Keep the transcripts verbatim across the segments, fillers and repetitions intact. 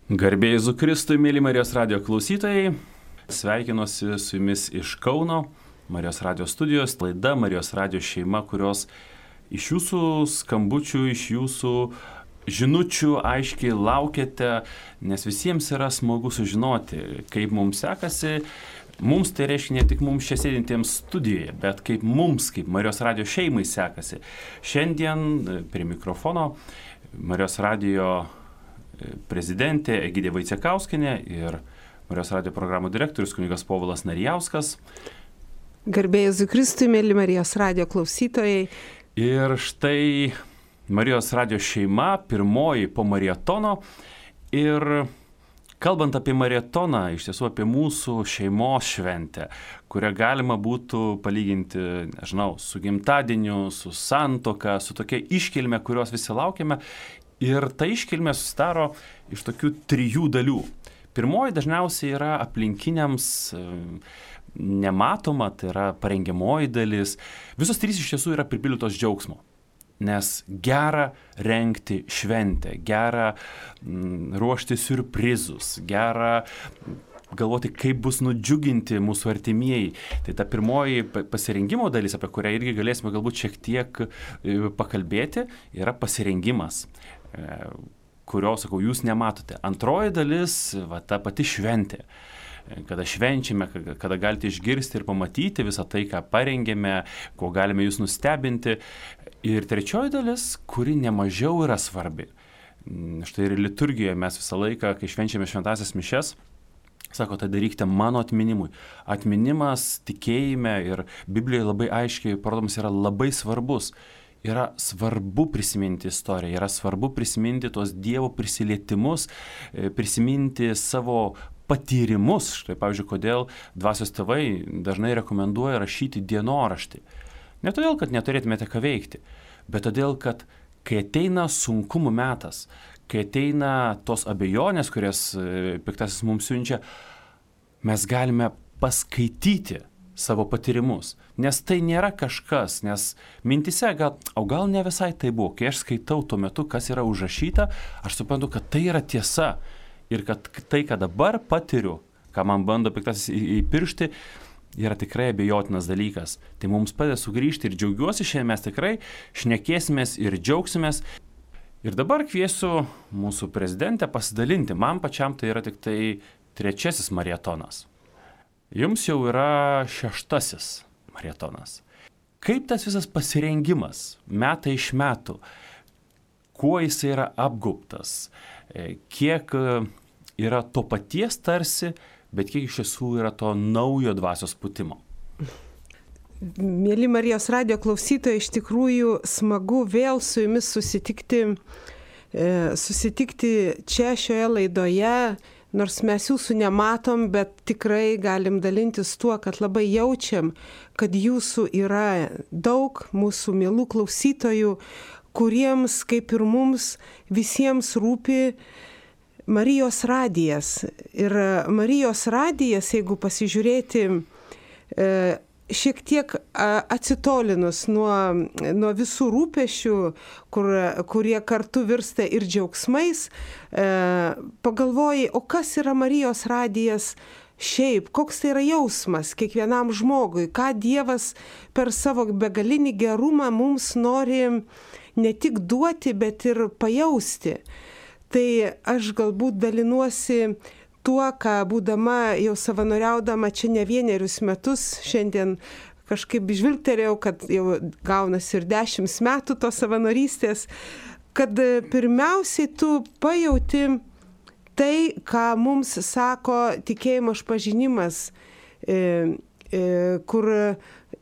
Garbė Jėzui Kristui, mėly Marijos radijo klausytojai, sveikinuosi su jumis iš Kauno, Marijos radijo studijos, laida Marijos radijo šeima, kurios iš jūsų skambučių, iš jūsų žinučių aiškiai laukiate, nes visiems yra smagu sužinoti, kaip mums sekasi. Mums tai reiškia ne tik mums čia sėdintiems studijoje, bet kaip mums, kaip Marijos radijo šeimai sekasi. Šiandien prie mikrofono Marijos radijo prezidentė Egidija Vaicekauskienė ir Marijos radijo programų direktorius kunigas Povilas Narijauskas. Garbė Jėzui Kristui, mėly Marijos radijo klausytojai. Ir štai Marijos radijo šeima, pirmoji po maratono. Ir kalbant apie maratoną, iš tiesų apie mūsų šeimos šventę, kurią galima būtų palyginti, nežinau, su gimtadieniu, su santuoka, su tokia iškilme, kurios visi laukiame. Ir ta iškilmė susidaro iš tokių trijų dalių. Pirmoji dažniausiai yra aplinkiniams nematoma, tai yra parengiamoji dalis. Visos trys iš tiesų yra pripildytos džiaugsmo. Nes gera rengti šventę, gera m, ruošti siurprizus, gera galvoti, kaip bus nudžiuginti mūsų artimieji. Tai ta pirmoji pasirengimo dalis, apie kurią irgi galėsime galbūt šiek tiek pakalbėti, yra pasirengimas, kurio, sakau, jūs nematote. Antroji dalis, va, ta pati šventė, kada švenčiame, kada galite išgirsti ir pamatyti visą tai, ką parengėme, ko galime jūs nustebinti. Ir trečioji dalis, kuri nemažiau yra svarbi. Štai ir liturgijoje mes visą laiką, kai švenčiame šventąsias mišias, sako, tai darykite mano atminimui. Atminimas tikėjime ir Biblijoje labai aiškiai parodomas yra labai svarbus. Yra svarbu prisiminti istoriją, yra svarbu prisiminti tos Dievo prisilietimus, prisiminti savo patyrimus. Štai, pavyzdžiui, kodėl dvasios tėvai dažnai rekomenduoja rašyti dienoraštį. Ne todėl, kad neturėtumėte ką veikti, bet todėl, kad kai ateina sunkumų metas, kai ateina tos abejonės, kurias piktasis mums siunčia, mes galime paskaityti savo patyrimus. Nes tai nėra kažkas, nes mintise gal, o gal ne visai tai buvo. Kai aš skaitau tuo metu, kas yra užrašyta, aš suprantu, kad tai yra tiesa. Ir kad tai, ką dabar patiriu, ką man bando piktasis įpiršti, yra tikrai abejotinas dalykas. Tai mums padeda sugrįžti ir džiaugiuosi, šiandien mes tikrai šnekėsimės ir džiaugsimės. Ir dabar kviesiu mūsų prezidentę pasidalinti. Man pačiam tai yra tik tai trečiasis maratonas. Jums jau yra šeštasis maratonas. Kaip tas visas pasirengimas metai iš metų, kuo jis yra apgaubtas, kiek yra to paties tarsi, bet kiek iš tiesų yra to naujo dvasios pūtimo. Mėly Marijos radijo klausytojai, iš tikrųjų smagu vėl su jumis susitikti, susitikti čia šioje laidoje, nors mes jūsų nematom, bet tikrai galim dalintis tuo, kad labai jaučiam, kad jūsų yra daug mūsų mielų klausytojų, kuriems, kaip ir mums, visiems rūpi Marijos radijas. Ir Marijos radijas, jeigu pasižiūrėti, šiek tiek atsitolinus nuo, nuo visų rūpešių, kur, kurie kartu virsta ir džiaugsmais, e, pagalvoji, o kas yra Marijos radijas šiaip, koks tai yra jausmas kiekvienam žmogui, ką Dievas per savo begalinį gerumą mums nori ne tik duoti, bet ir pajausti. Tai aš galbūt dalinuosi tuo, ką būdama jau savanoriaudama čia ne vienerius metus, šiandien kažkaip žvilgterėjau, kad jau gaunasi ir dešimt metų tos savanorystės, kad pirmiausiai tu pajauti tai, ką mums sako tikėjimo išpažinimas, e, e, kur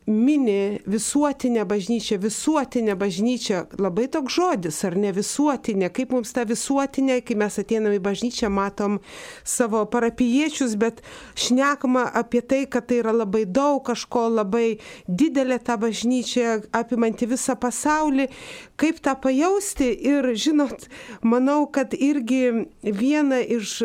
mini visuotinę bažnyčią, visuotinę bažnyčią, labai toks žodis, ar ne visuotinė, kaip mums ta visuotinė, kai mes ateiname į bažnyčią, matom savo parapijiečius, bet šnekama apie tai, kad tai yra labai daug kažko, labai didelė ta bažnyčia, apimanti visą pasaulį, kaip tą pajausti ir, žinot, manau, kad irgi viena iš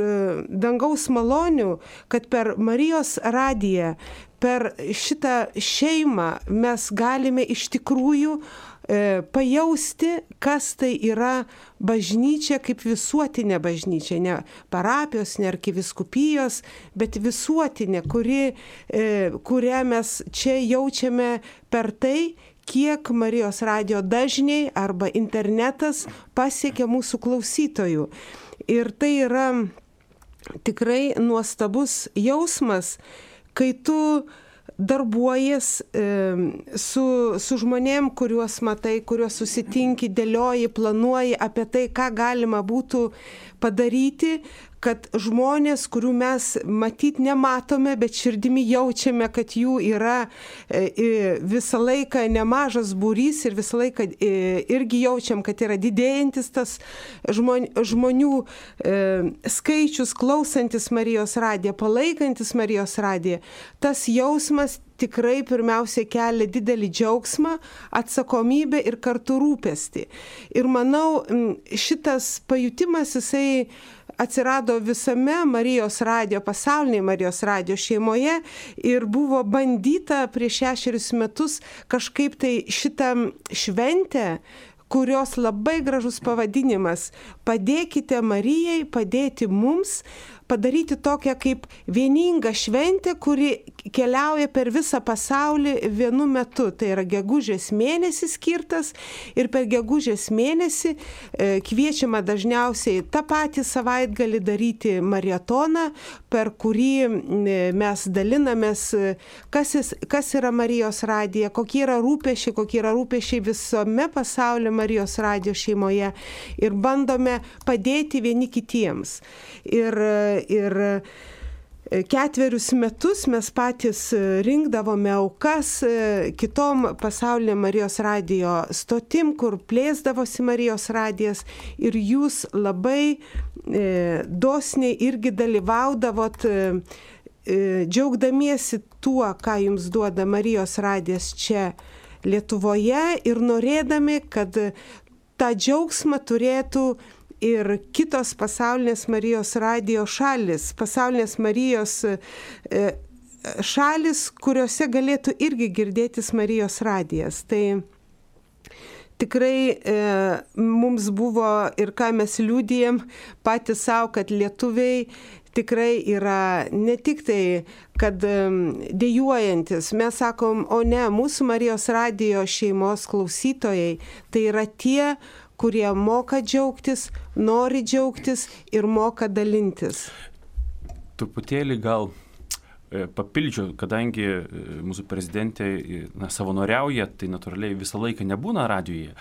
dangaus malonių, kad per Marijos radiją, per šitą šeimą mes galime iš tikrųjų e, pajausti, kas tai yra bažnyčia kaip visuotinė bažnyčia, ne parapijos, ne arkiviskupijos, bet visuotinė, kuri, e, kurią mes čia jaučiame per tai, kiek Marijos radijo dažniai arba internetas pasiekia mūsų klausytojų. Ir tai yra tikrai nuostabus jausmas, kai tu darbuojies e, su, su žmonėm, kuriuos matai, kuriuos susitinki, dėlioji, planuoji apie tai, ką galima būtų padaryti, kad žmonės, kurių mes matyt nematome, bet širdimi jaučiame, kad jų yra e, visą laiką nemažas būrys ir visą laiką e, irgi jaučiam, kad yra didėjantis tas žmon, žmonių e, skaičius, klausantis Marijos radiją, palaikantis Marijos radiją. Tas jausmas tikrai pirmiausia kelia didelį džiaugsmą, atsakomybę ir kartu rūpestį. Ir manau, šitas pajutimas, jisai atsirado visame Marijos radijo, pasaulinėje Marijos radijo šeimoje ir buvo bandyta prieš šešerius metus kažkaip tai šitą šventę, kurios labai gražus pavadinimas "Padėkite Marijai, padėti mums", padaryti tokią kaip vieningą šventę, kuri keliauja per visą pasaulį vienu metu. Tai yra gegužės mėnesis skirtas ir per gegužės mėnesį e, kviečiama dažniausiai tą patį savaitgalį daryti maratoną, per kurį e, mes dalinamės, kas, jis, kas yra Marijos radija, kokie yra rūpesčiai, kokie yra rūpesčiai visame pasaulyje Marijos radijo šeimoje ir bandome padėti vieni kitiems. Ir Ir ketverius metus mes patys rinkdavome aukas kitom pasaulinė Marijos radijo stotim, kur plėsdavosi Marijos radijas ir jūs labai e, dosniai irgi dalyvaudavot, e, džiaugdamiesi tuo, ką jums duoda Marijos radijas čia Lietuvoje ir norėdami, kad tą džiaugsmą turėtų ir kitos pasaulinės Marijos radijo šalis, pasaulinės Marijos šalis, kuriuose galėtų irgi girdėtis Marijos radijas. Tai tikrai e, mums buvo ir ką mes liudijam patys savo, kad lietuviai tikrai yra ne tik tai, kad dejuojantis, mes sakom, o ne, mūsų Marijos radijo šeimos klausytojai, tai yra tie, kurie moka džiaugtis, nori džiaugtis ir moka dalintis. Truputėlį gal papildžiau, kadangi mūsų prezidentė na, savanoriauja, tai natūraliai visą laiką nebūna radijoje,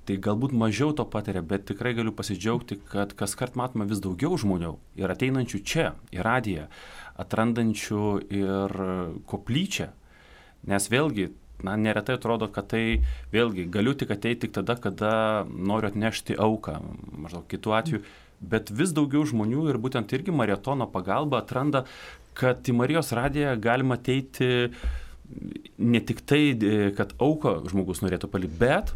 tai galbūt mažiau to patiria, bet tikrai galiu pasidžiaugti, kad kas kart matome vis daugiau žmonių ir ateinančių čia, į radiją, atrandančių ir koplyčią, nes vėlgi, na, neretai atrodo, kad tai vėlgi galiu tik ateiti tik tada, kada noriu atnešti auką, maždaug kitų atveju, bet vis daugiau žmonių ir būtent irgi maratono pagalba atranda, kad į Marijos radiją galima ateiti ne tik tai, kad auką žmogus norėtų palikti, bet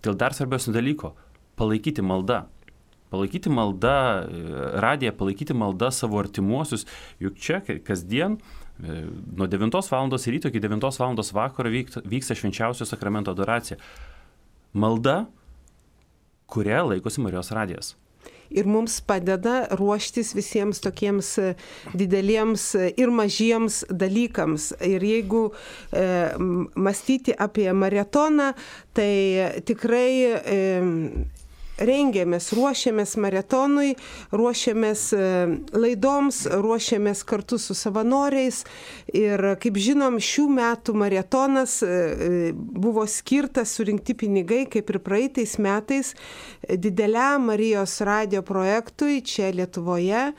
dėl dar svarbiausio dalyko - palaikyti maldą. Palaikyti maldą radiją, palaikyti maldą savo artimuosius, juk čia kasdien nuo devintos valandos ryto iki devintos valandos vakaro vyksta švenčiausio sakramento adoracija. Malda, kuria laikosi Marijos radijas. Ir mums padeda ruoštis visiems tokiems dideliems ir mažiems dalykams. Ir jeigu e, mąstyti apie maratoną, tai tikrai e, rengiamės, ruošiamės maratonui, ruošiamės laidoms, ruošiamės kartu su savanoriais ir, kaip žinom, šių metų maratonas buvo skirtas surinkti pinigai, kaip ir praeitais metais, dideliam Marijos radijo projektui čia Lietuvoje,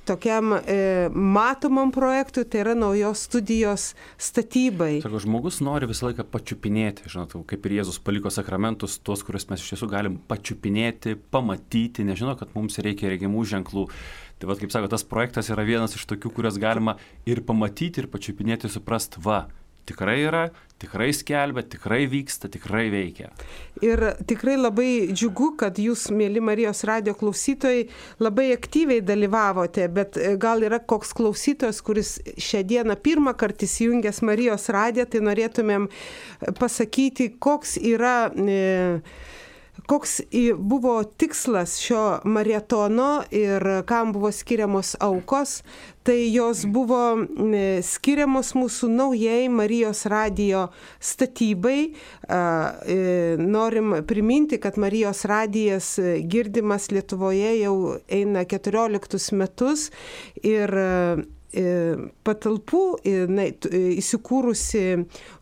tokiam e, matomam projektui, tai yra naujos studijos statybai. Sako, žmogus nori visą laiką pačiupinėti, žinot, kaip ir Jėzus paliko sakramentus, tuos, kuriuos mes iš tiesų galim pačiupinėti, pamatyti, nežinau, kad mums reikia regimų ženklų. Tai vat, kaip sako, tas projektas yra vienas iš tokių, kurias galima ir pamatyti, ir pačiupinėti, suprast, va, tikrai yra, tikrai skelbia, tikrai vyksta, tikrai veikia. Ir tikrai labai džiugu, kad jūs, mėly Marijos radijo klausytojai, labai aktyviai dalyvavote, bet gal yra koks klausytojas, kuris šią dieną pirmą kartą įsijungęs Marijos radiją, tai norėtumėm pasakyti, koks yra... E, Koks buvo tikslas šio maratono ir kam buvo skiriamos aukos, tai jos buvo skiriamos mūsų naujai Marijos radijo statybai. Norim priminti, kad Marijos radijas girdimas Lietuvoje jau eina keturioliktus metus ir patalpų na, įsikūrusi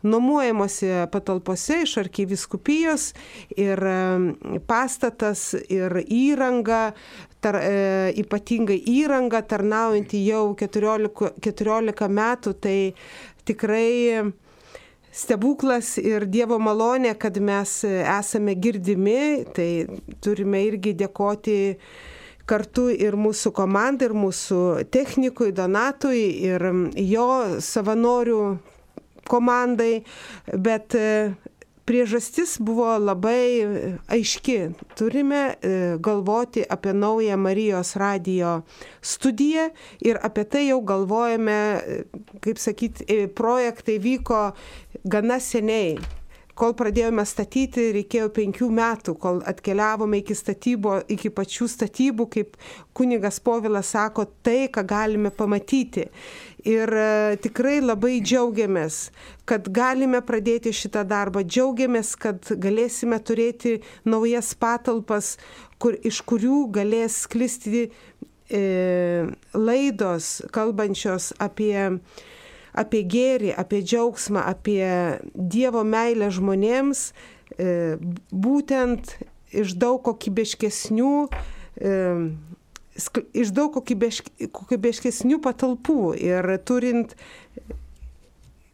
nuomuojamosi patalpose iš arkivyskupijos ir pastatas ir įranga, tar, ypatingai įranga tarnaujanti jau keturiolika, keturiolika metų, tai tikrai stebuklas ir Dievo malonė, kad mes esame girdimi, tai turime irgi dėkoti kartu ir mūsų komandai, ir mūsų technikui, Donatui, ir jo savanorių komandai, bet priežastis buvo labai aiški. Turime galvoti apie naują Marijos radijo studiją ir apie tai jau galvojame, kaip sakyti, projektai vyko gana seniai. Kol pradėjome statyti, reikėjo penkių metų, kol atkeliavome iki statybo, iki pačių statybų, kaip kunigas Povilas sako, tai, ką galime pamatyti. Ir tikrai labai džiaugiamės, kad galime pradėti šitą darbą, džiaugiamės, kad galėsime turėti naujas patalpas, kur, iš kurių galės sklisti e, laidos, kalbančios apie apie gėrį, apie džiaugsmą, apie Dievo meilę žmonėms, būtent iš daug kokybiškesnių, iš daug kokybiškesnių patalpų ir turint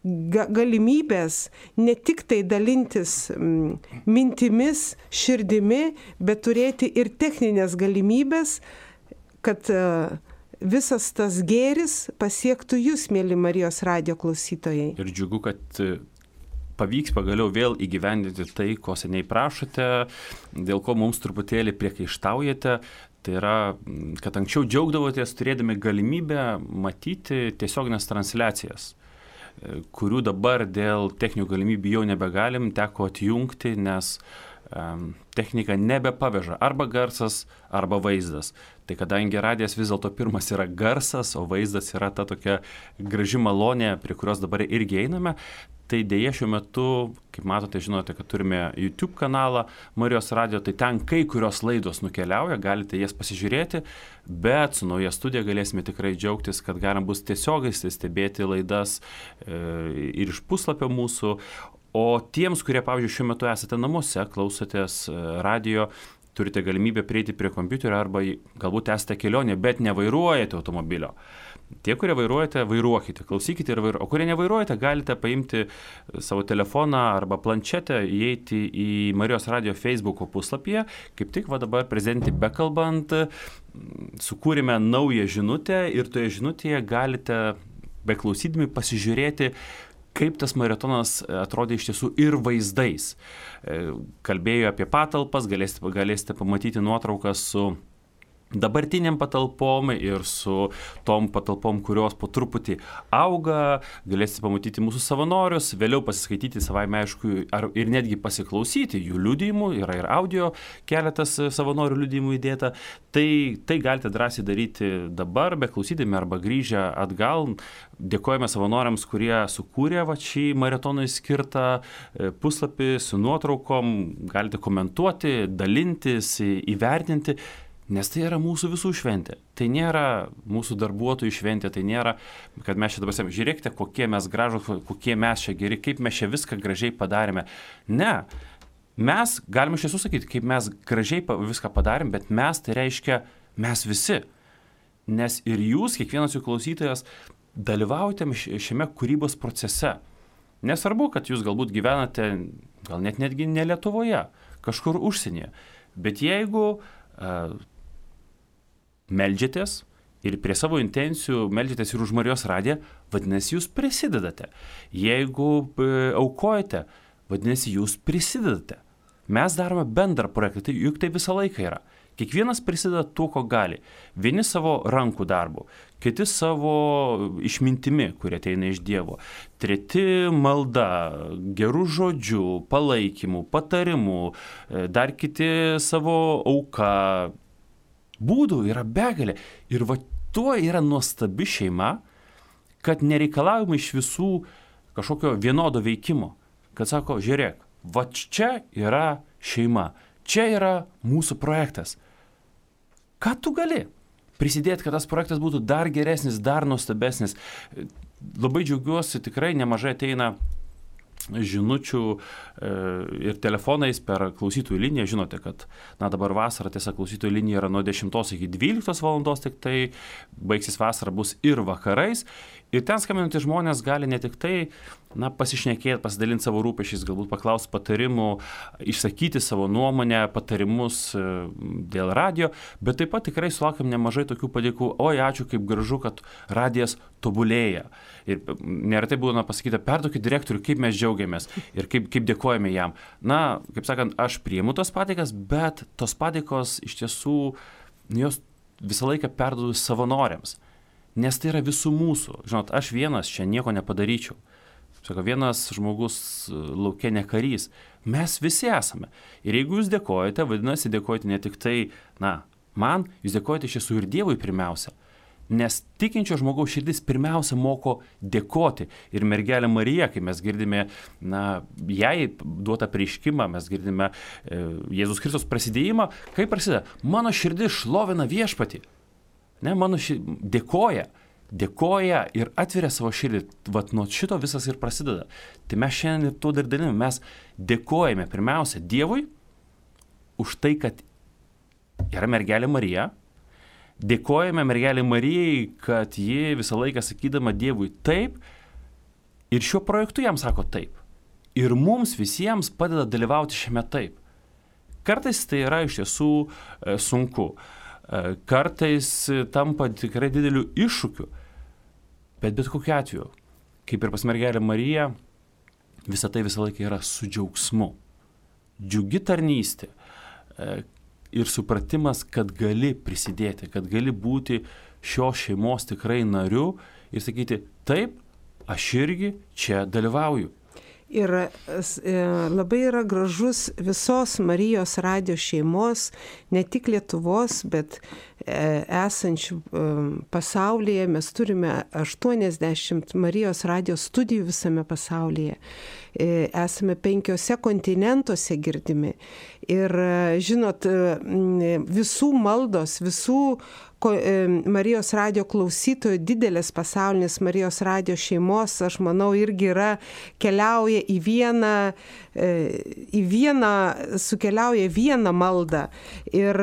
galimybės ne tik tai dalintis mintimis, širdimi, bet turėti ir techninės galimybės, kad visas tas gėris pasiektų jūs, mėly Marijos radijo klausytojai. Ir džiugu, kad pavyks pagaliau vėl įgyvendinti tai, ko seniai prašote, dėl ko mums truputėlį priekaištaujate. Tai yra, kad anksčiau džiaugdavotės turėdami galimybę matyti tiesioginės transliacijas, kurių dabar dėl techninių galimybių jau nebegalim, teko atjungti, nes um, technika nebepaveža arba garsas, arba vaizdas. Tai kadangi radijas vis dėlto pirmas yra garsas, o vaizdas yra ta tokia graži malonė, prie kurios dabar irgi einame, tai dėja šiuo metu, kaip matote, žinote, kad turime YouTube kanalą Marijos radijo, tai ten kai kurios laidos nukeliauja, galite jas pasižiūrėti, bet su nauja studija galėsime tikrai džiaugtis, kad galim bus tiesiogiai stebėti laidas e, ir iš puslapio mūsų. O tiems, kurie, pavyzdžiui, šiuo metu esate namuose, klausotės radijo, turite galimybę prieiti prie kompiuterio arba galbūt esate kelionė, bet nevairuojate automobilio. Tie, kurie vairuojate, vairuokite, klausykite ir vairuokite. O kurie nevairuojate, galite paimti savo telefoną arba planšetę, įeiti į Marijos radijo Facebooko puslapyje. Kaip tik va dabar prezidentį bekalbant, sukūrėme naują žinutę ir toje žinutėje galite beklausydami pasižiūrėti, kaip tas maratonas atrodė iš tiesų ir vaizdais. Kalbėjo apie patalpas, galėsite, galėsite pamatyti nuotraukas su dabartiniam patalpom ir su tom patalpom, kurios po truputį auga, galėsite pamatyti mūsų savanorius, vėliau pasiskaityti savaime aišku ar, ir netgi pasiklausyti jų liudijimų, yra ir audio keletas savanorių liudijimų įdėta, tai, tai galite drąsiai daryti dabar, beklausydami arba grįžę atgal. Dėkojame savanoriams, kurie sukūrė va, šį maratonui skirtą puslapį su nuotraukom, galite komentuoti, dalintis, įvertinti. Nes tai yra mūsų visų šventė. Tai nėra mūsų darbuotojų šventė, tai nėra, kad mes čia dabar sakėme, žiūrėkite, kokie mes gražus, kokie mes čia geri, kaip mes čia viską gražiai padarėme. Ne, mes galime iš tiesų sakyti, kaip mes gražiai viską padarėm, bet mes tai reiškia mes visi. Nes ir jūs, kiekvienas jų klausytojas, dalyvaujate šiame kūrybos procese. Nesvarbu, kad jūs galbūt gyvenate, gal net netgi ne Lietuvoje, kažkur užsienyje. Bet jeigu uh, meldžiatės, ir prie savo intencijų meldžiatės ir už Marijos radiją, vadinasi, jūs prisidedate. Jeigu aukojate, vadinasi, jūs prisidedate. Mes darome bendrą projektą, tai juk tai visą laiką yra. Kiekvienas prisideda tuo, ko gali. Vieni savo rankų darbu, kiti savo išmintimi, kurie ateina iš Dievo. Treti malda, gerų žodžių, palaikymų, patarimų, dar kiti savo auką. Būdų yra begalė. Ir va tuo yra nuostabi šeima, kad nereikalaujama iš visų kažkokio vienodo veikimo. Kad sako, žiūrėk, va čia yra šeima, čia yra mūsų projektas. Ką tu gali prisidėti, kad tas projektas būtų dar geresnis, dar nuostabesnis? Labai džiaugiuosi, tikrai nemažai ateina žinučių e, ir telefonais per klausytojų liniją. Žinote, kad na, dabar vasara, tiesa, klausytojų linija yra nuo dešimtos iki dvyliktos valandos, tik tai baigsis vasara bus ir vakarais. Ir ten skambinantys žmonės gali ne tik tai na, pasišnekėti, pasidalinti savo rūpešiais, galbūt paklausti patarimų, išsakyti savo nuomonę, patarimus dėl radio, bet taip pat tikrai sulaukiam nemažai tokių padėkų, oi, ačiū, kaip gražu, kad radijas tobulėja. Ir neretai būna pasakyta, perduokit direktoriui, kaip mes džiaugiamės ir kaip, kaip dėkojame jam. Na, kaip sakant, aš priimu tos padėkas, bet tos padėkos iš tiesų, jos visą laiką perduodu savanoriams. Nes tai yra visų mūsų. Žinot, aš vienas čia nieko nepadaryčiau. Sako, vienas žmogus lauke ne karys. Mes visi esame. Ir jeigu jūs dėkojate, vadinasi, dėkojate ne tik tai, na, man, jūs dėkojate iš tiesų ir Dievui pirmiausia. Nes tikinčio žmogaus širdis pirmiausia moko dėkoti. Ir mergelė Marija, kai mes girdime, na, jai duotą apreiškimą, mes girdime e, Jėzus Kristus prasidėjimą, kaip prasideda? Mano širdis šlovina viešpatį. Ne, mano širdis dėkoja. Dėkoja ir atveria savo širdį. Vat nuo šito visas ir prasideda. Tai mes šiandien ir tuo dar daliname. Mes dėkojame pirmiausia Dievui už tai, kad yra mergelė Marija. Dėkojame mergelė Marijai, kad ji visą laiką sakydama Dievui taip ir šiuo projektu jam sako taip. Ir mums visiems padeda dalyvauti šiame taip. Kartais tai yra iš tiesų e, sunku. E, kartais tampa tikrai dideliu iššūkiu. Bet bet kokiu atveju, kaip ir pas mergelę Mariją, visa tai visą laiką yra su džiaugsmu. Džiugi tarnystė. E, ir supratimas, kad gali prisidėti, kad gali būti šios šeimos tikrai nariu ir sakyti, taip, aš irgi čia dalyvauju. Ir labai yra gražus visos Marijos radijo šeimos, ne tik Lietuvos, bet esančių pasaulyje. Mes turime aštuoniasdešimt Marijos radijo studijų visame pasaulyje. Esame penkiose kontinentuose girdimi. Ir žinot, visų maldos, visų Marijos radijo klausytojų, didelės pasaulinės Marijos radijo šeimos, aš manau, irgi yra, keliauja į vieną, į vieną, sukeliauja vieną maldą. Ir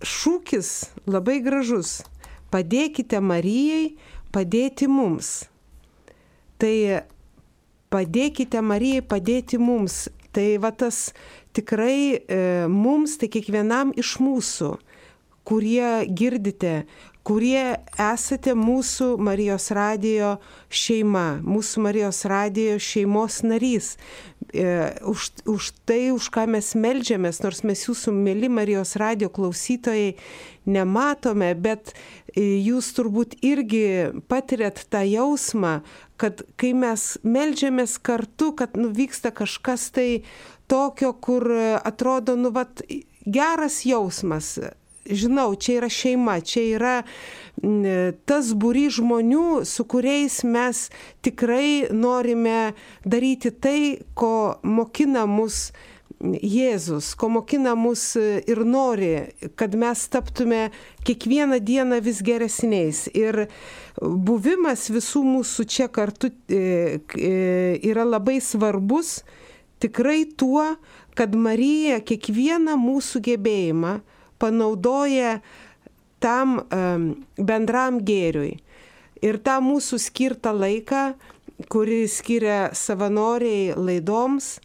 šūkis labai gražus. Padėkite Marijai padėti mums. Tai padėkite Marijai padėti mums. Tai va tas tikrai e, mums, tai kiekvienam iš mūsų, kurie girdite, kurie esate mūsų Marijos radijo šeima, mūsų Marijos radijo šeimos narys. E, už, už tai, už ką mes meldžiamės, nors mes jūsų mėly Marijos radijo klausytojai nematome, bet jūs turbūt irgi patiriat tą jausmą, kad kai mes meldžiamės kartu, kad nu, vyksta kažkas tai tokio, kur atrodo, nu, vat, geras jausmas. Žinau, čia yra šeima, čia yra tas būrys žmonių, su kuriais mes tikrai norime daryti tai, ko mokina mus Jėzus, ko mokina mus ir nori, kad mes taptume kiekvieną dieną vis geresniais. Ir buvimas visų mūsų čia kartu yra labai svarbus tikrai tuo, kad Marija kiekvieną mūsų gebėjimą panaudoja tam um, bendram gėriui. Ir tą mūsų skirtą laiką kurį skiria savanoriai laidoms,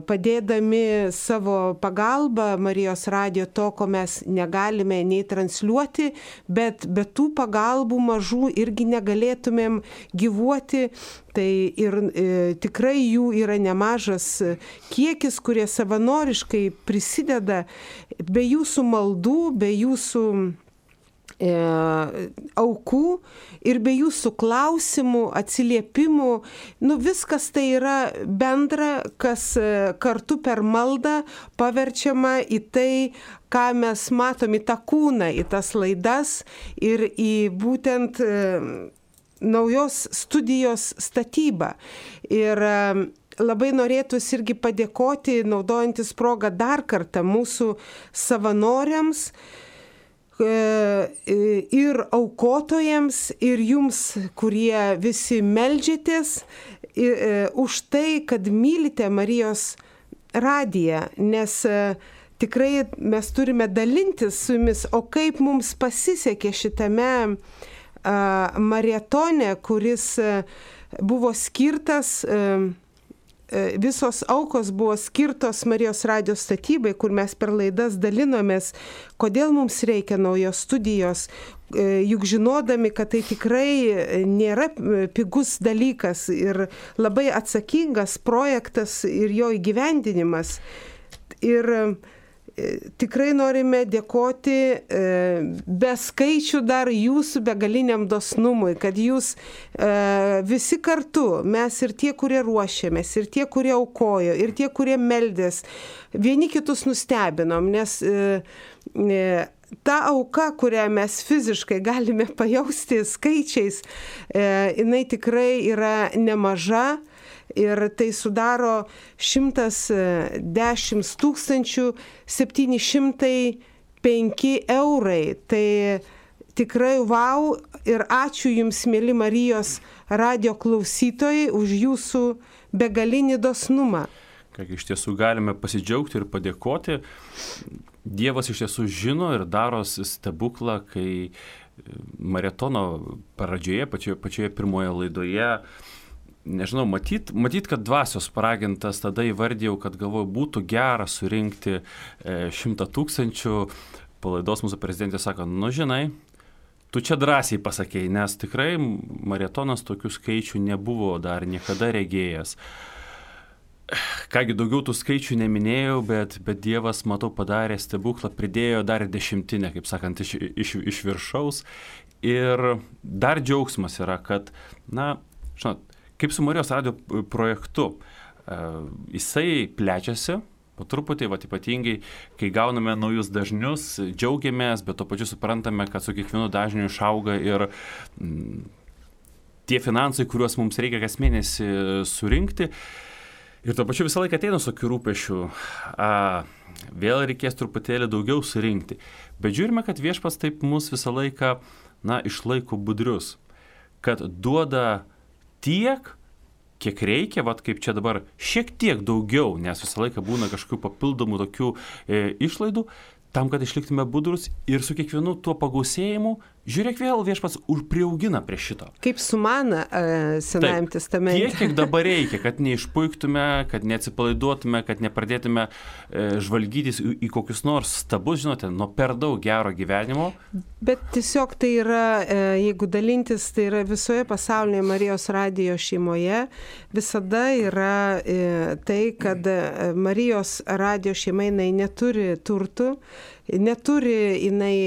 padėdami savo pagalbą Marijos radijo to, ko mes negalime nei transliuoti, bet be tų pagalbų mažų irgi negalėtumėm gyvuoti. Tai ir e, tikrai jų yra nemažas kiekis, kurie savanoriškai prisideda be jūsų maldų, be jūsų E, aukų ir be jūsų klausimų, atsiliepimų. Nu, viskas tai yra bendra, kas kartu per maldą paverčiama į tai, ką mes matom, į tą kūną, į tas laidas ir į būtent e, naujos studijos statybą. Ir e, labai norėtųsi irgi padėkoti, naudojantis progą dar kartą mūsų savanoriams, ir aukotojams, ir jums, kurie visi meldžiatės, už tai, kad mylite Marijos radiją, nes tikrai mes turime dalintis su jumis, o kaip mums pasisekė šitame maratone, kuris buvo skirtas, visos aukos buvo skirtos Marijos radijo statybai, kur mes per laidas dalinomės, kodėl mums reikia naujos studijos, juk žinodami, kad tai tikrai nėra pigus dalykas ir labai atsakingas projektas ir jo įgyvendinimas. Ir tikrai norime dėkoti be skaičių dar jūsų begaliniam dosnumui, kad jūs visi kartu, mes ir tie, kurie ruošėmės, ir tie, kurie aukojo, ir tie, kurie meldės, vieni kitus nustebinom, nes ta auka, kurią mes fiziškai galime pajausti skaičiais, jinai tikrai yra nemaža. Ir tai sudaro šimtas dešimt tūkstančių septyni šimtai penki eurai. Tai tikrai vau ir ačiū Jums, mėly Marijos radijo klausytojai, už Jūsų begalinį dosnumą. Ką iš tiesų galime pasidžiaugti ir padėkoti. Dievas iš tiesų žino ir daro stebuklą, kai maratono pradžioje, pačioje, pačioje pirmoje laidoje, nežinau, matyt, matyt, kad dvasios paragintas, tada įvardėjau, kad galvoju, būtų gera surinkti šimtą tūkstančių. Po laidos mūsų prezidentė sako, nu žinai, tu čia drąsiai pasakėjai, nes tikrai maratonas tokių skaičių nebuvo dar niekada regėjęs. Kągi, daugiau tų skaičių neminėjau, bet, bet Dievas, matau, padarė stebuklą, pridėjo dar dešimtinę, kaip sakant, iš, iš, iš viršaus. Ir dar džiaugsmas yra, kad, na, žinot, kaip su Marijos radijo projektu, jisai plečiasi po truputį, va, ypatingai, kai gauname naujus dažnius, džiaugiamės, bet to pačiu suprantame, kad su kiekvienu dažniu išauga ir m, tie finansai, kuriuos mums reikia kas mėnesį surinkti. Ir to pačiu visą laiką ateina su tokiu rūpešiu, a, vėl reikės truputėlį daugiau surinkti. Bet žiūrime, kad viešpats taip mus visą laiką, na, išlaiko budrius, kad duoda tiek, kiek reikia, vat kaip čia dabar, šiek tiek daugiau, nes visą laiką būna kažkokių papildomų tokių e, išlaidų, tam, kad išliktume budrus ir su kiekvienu tuo pagausėjimu, žiūrėk, vėl viešpats priaugina prie šito. Kaip su mana uh, Senajam testamente. Tiek, kiek dabar reikia, kad neišpuiktume, kad neatsipalaiduotume, kad nepradėtume e, žvalgytis į, į kokius nors stabus, žinote, nuo per daug gero gyvenimo. Bet tiesiog tai yra, e, jeigu dalintis, tai yra visoje pasaulyje Marijos radijo šeimoje, visada yra e, tai, kad Marijos radijo šeima jinai neturi turtų, neturi jinai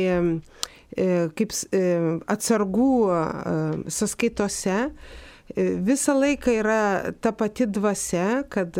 kaip atsargų sąskaitose. Visą laiką yra ta pati dvasia, kad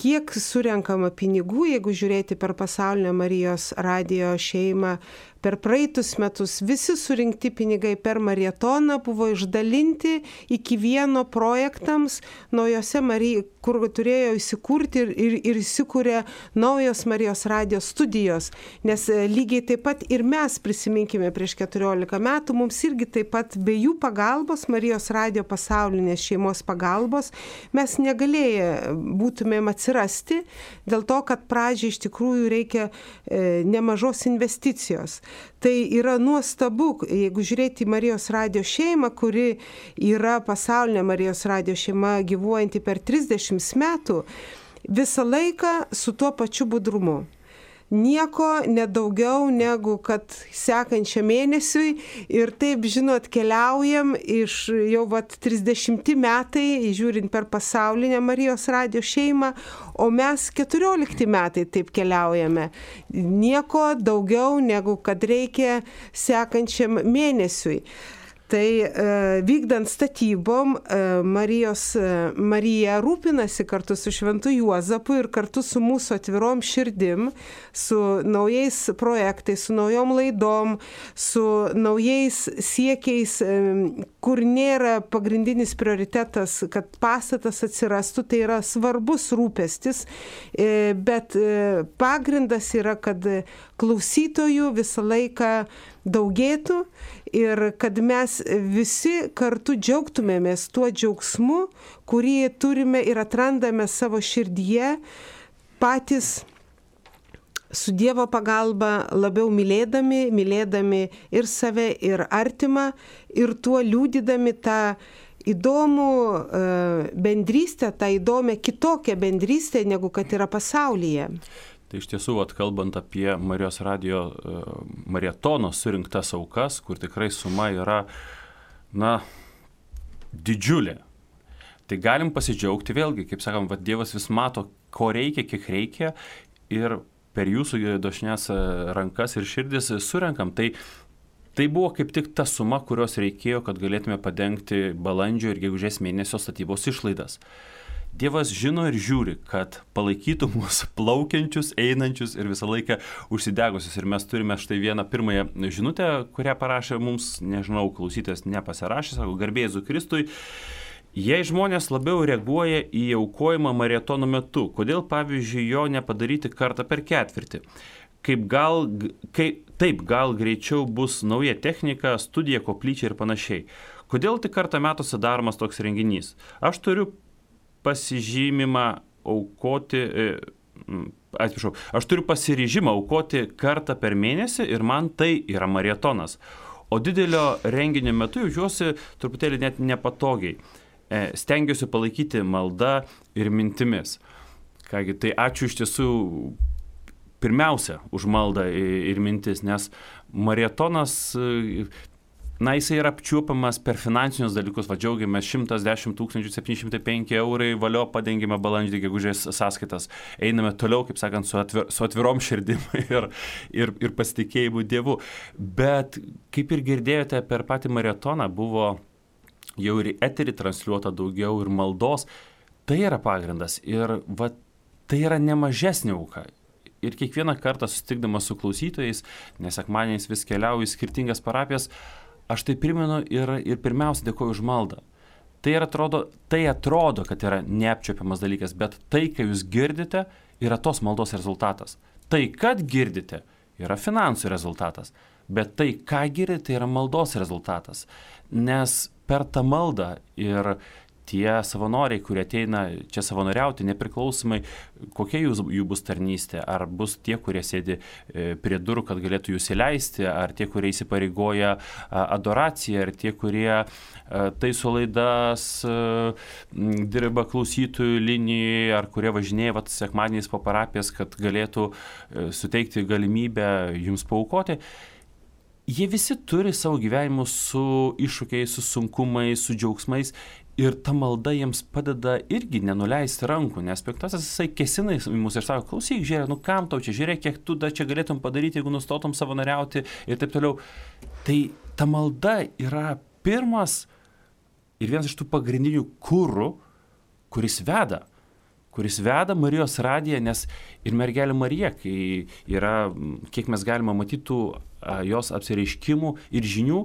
kiek surenkama pinigų, jeigu žiūrėti per pasaulinę Marijos radijo šeimą, per praeitus metus visi surinkti pinigai per maratoną buvo išdalinti iki vieno projektams naujose Marijos, kur turėjo įsikurti ir, ir, ir įsikūrė naujos Marijos radijo studijos. Nes lygiai taip pat ir mes prisiminkime prieš keturiolika metų, mums irgi taip pat be jų pagalbos, Marijos radijo pasaulinės šeimos pagalbos, mes negalėję būtumėm atsirasti, dėl to, kad pradžiai iš tikrųjų reikia e, nemažos investicijos. Tai yra nuostabu, jeigu žiūrėti į Marijos radijo šeimą, kuri yra pasaulinė Marijos radijo šeima gyvuojanti per trisdešimt metų, visą laiką su tuo pačiu budrumu. Nieko nedaugiau negu kad sekančiam mėnesiui ir taip, žinot, keliaujam iš jau vat trisdešimti metai, žiūrint per pasaulinę Marijos radijo šeimą, o mes keturiolikti metai taip keliaujame. Nieko daugiau negu kad reikia sekančiam mėnesiui. Tai e, vykdant statybom, e, Marijos, e, Marija rūpinasi kartu su Šventu Juozapu ir kartu su mūsų atvirom širdim, su naujais projektais, su naujom laidom, su naujais siekiais, e, kur nėra pagrindinis prioritetas, kad pastatas atsirastų, tai yra svarbus rūpestis, e, bet e, pagrindas yra, kad klausytojų visą laiką daugėtų ir kad mes visi kartu džiaugtumėmės tuo džiaugsmu, kurį turime ir atrandame savo širdyje, patys su Dievo pagalba labiau mylėdami, mylėdami ir save, ir artimą, ir tuo liudydami tą įdomų bendrystę, tą įdomią kitokią bendrystę, negu kad yra pasaulyje. Tai iš tiesų, vat, kalbant apie Marijos radijo uh, marietono surinktas aukas, kur tikrai suma yra, na, didžiulė. Tai galim pasidžiaugti vėlgi, kaip sakom, vat, Dievas vis mato, ko reikia, kiek reikia ir per jūsų dosnias rankas ir širdis surenkam. Tai, tai buvo kaip tik ta suma, kurios reikėjo, kad galėtume padengti balandžio ir gegužės mėnesio statybos išlaidas. Dievas žino ir žiūri, kad palaikytų mūsų plaukiančius, einančius ir visą laiką užsidegusius. Ir mes turime štai vieną pirmąją žinutę, kurią parašė mums, nežinau, klausytojas nepasirašė, sako, garbė Jėzui Kristui. Jei žmonės labiau reaguoja į aukojimą marietono metu, kodėl, pavyzdžiui, jo nepadaryti kartą per ketvirtį? Kaip gal, kaip, taip, gal greičiau bus nauja technika, studija, koplyčia ir panašiai. Kodėl tik kartą metuose daromas toks renginys? Aš turiu pasižymimą aukoti, atsiprašau, aš turiu pasiryžimą aukoti kartą per mėnesį ir man tai yra marietonas. O didelio renginio metu jaučiuosi truputėlį net nepatogiai. Stengiuosi palaikyti maldą ir mintimis. Kągi, tai ačiū iš tiesų pirmiausia už maldą ir mintis, nes marietonas, na, jisai yra apčiuopamas per finansinius dalykus, va džiaugiamės šimtas dešimt tūkstančių septyni šimtai penki eurai, valio padengime balandžio gegužės sąskaitas. Einame toliau, kaip sakant, su, atvir, su atvirom širdim ir, ir, ir pasitikėjimu Dievu. Bet, kaip ir girdėjote, per patį marietoną buvo jau ir eterį transliuota daugiau ir maldos. Tai yra pagrindas ir va, tai yra nemažesnė auka. Ir kiekvieną kartą susitikdamas su klausytojais, nes sekmadieniais vis keliauju į skirtingas parapijas, aš tai primenu ir, ir pirmiausia dėkoju už maldą. Tai atrodo, tai atrodo, kad yra neapčiuopiamas dalykas, bet tai, ką jūs girdite, yra tos maldos rezultatas. Tai, kad girdite, yra finansų rezultatas, bet tai, ką girdite, yra maldos rezultatas. Nes per tą maldą ir tie savanoriai, kurie ateina čia savanoriauti, nepriklausomai kokia jūs, jų bus tarnystė, ar bus tie, kurie sėdi prie durų, kad galėtų jūs įleisti, ar tie, kurie įsipareigoja adoraciją, ar tie, kurie taiso laidas, dirba klausytojų linijoje, ar kurie važinėja vat, sekmadieniais po parapijas, kad galėtų suteikti galimybę jums paaukoti. Jie visi turi savo gyvenimus su iššūkiais, su sunkumais, su džiaugsmais ir ta malda jiems padeda irgi nenuleisti rankų, nes piktasis jisai kesina į mus ir sako, klausyk, žiūrėk, nu kam tau čia, žiūrėk, kiek tu da čia galėtum padaryti, jeigu nustotum savanoriauti ir taip toliau. Tai ta malda yra pirmas ir vienas iš tų pagrindinių kurų, kuris veda. kuris veda Marijos radiją, nes ir mergelė Marija, kai yra, kiek mes galime matyti jos apsireiškimų ir žinių,